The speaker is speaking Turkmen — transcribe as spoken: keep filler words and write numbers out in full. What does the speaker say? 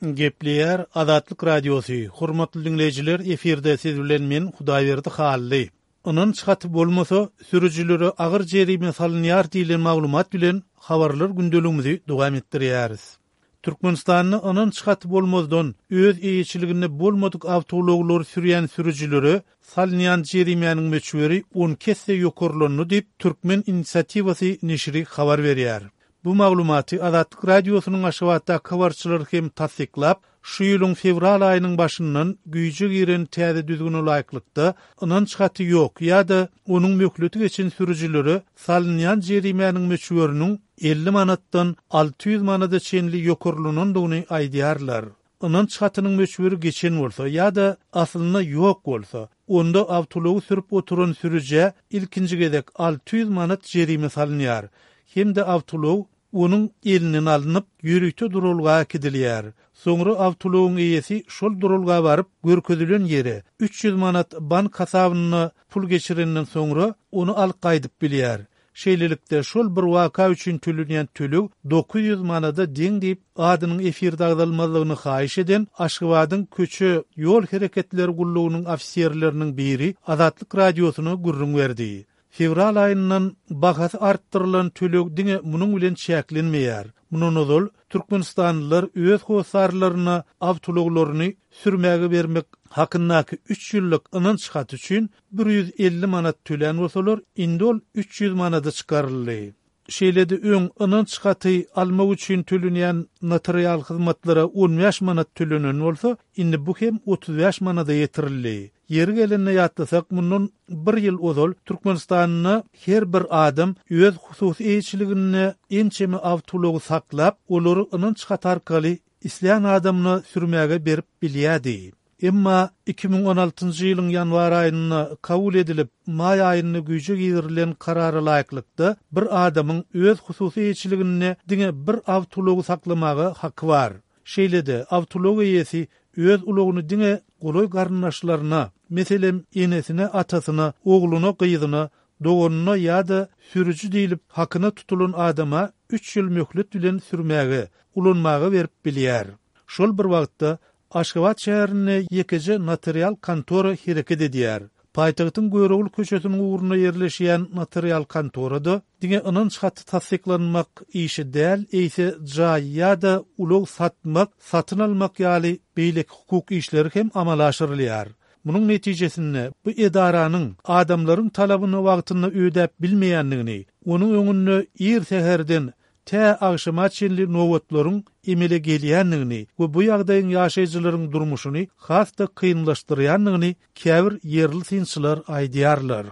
Gepleýär Azatlyk Radiosy. Hormatly diňleýjiler, efirde siz bilen men Hudaýberdi Hally. Ynanç haty bolmasa, sürüjilere agyr jerime salynýar diýlen maglumat bilen habarlar gündeligimizi dowam etdirýäris. Türkmenistanda ynanç haty bolmazdan öz eýeçiliginde bolmadyk awtoulaglary sürýän sürüjilere salynýan jerimäniň möçberi on iki esse ýokarlandy diýip, Türkmen inisiatiwasy neşiri habar berýär. Bu maglumaty Azatlyk Radiosynyň Aşgabatdaky habarçylary hem tassyklap, şu ýylyň fewral aýynyň başyndan güýje giren täze düzgüne laýyklykda, ynanç haty ýok ýa-da onuň möhleti geçen sürüjilere salynýan jerimäniň möçberiniň elli manatdan alty ýüz manada çenli ýokarlanandygyny aýdýarlar. Ynanç hatynyň möçberi geçen bolsa ýa-da aslynda ýok bolsa, onda awtoulagy sürüp oturan sürüjä ilkinji gezek alty ýüz manat jerime salynýar hem-de awtoulag onuň elinden alnyp, ýörite duralga äkidilýär. Soňra awtoulagyň eýesi şol duralga baryp, görkezilen ýere üç ýüz manat bank hasabyna pul geçirenden soňra ony alyp gaýdyp bilýär. Şeýlelikde, şol bir waka üçin tölenýän töleg dokuz ýüz manada deň diýip, adynyň efirde agzalmazlygyny haýyş eden Aşgabadyň köçe ýol hereketleri gullugynyň ofiserleriniň biri Azatlyk Radiosyna gürrüň berdi. Fewral aýyndan bahasy artdyrylan töleg diňe munuň bilen çäklenmeýär. Mundan ozal türkmenistanlylar öz hossarlaryna awtoulaglaryny sürmäge bermek hakyndaky üç ýyllyk ynanç haty üçin bir ýüz elli manat tölän bolsalar, indi ol üç ýüz manada çykaryldy. Şeýle-de öň ynanç haty almak üçin tölenýän notarial hyzmatlara on bäş manat tölenen bolsa, indi bu hem otuz bäş manada ýetirildi. Ýeri gelende ýatlasak, mundan bir ýyl ozal Türkmenistanda her bir adam öz hususy eýeçiliginde ençeme awtoulagy saklap, olary ynanç haty arkaly islän adamyna sürmäge berip bilýärdi. Emma iki müň on altynjy ýylyň ýanwar aýynda kabul edilip, maý aýynda güýje girilen karara laýyklykda bir adamyň öz hususy eýeçiliginde diňe bir awtoulagy saklamaga haky bar. Şeýle-de awtoulag eýesi öz ulagyny diňe golaý garyndaşlaryna, meselem, enesine, atasyna, ogluna, gyzyna, doganyna ýa-da sürüji diýlip hakyna tutulan adama üç ýyl möhlet bilen sürmäge, ulanmaga berip bilýär. Şol bir wagtda Aşgabat şäherinde ýekeje notarial kontora hereket edýär. Paýtagtyň Görogly köçesiniň ugrunda ýerleşýän notarial kontorada diňe ynanç haty tassyklanmak işi däl, eýse jaý ýa-da ulag satmak, satyn almak ýaly beýleki hukuk işleri hem amala aşyrylýar. Munuň netijesinde bu edaranyň adamlaryň talabyny wagtynda ödäp bilmeýändigini, onuň öňünde ir säherden tä agşama çenli nobatlaryň emele gelýändigini we bu ýagdaýyň ýaşaýjylaryň durmuşyny has-da kynlaşdyrýandygyny käbir ýerli synçylar aýdýarlar.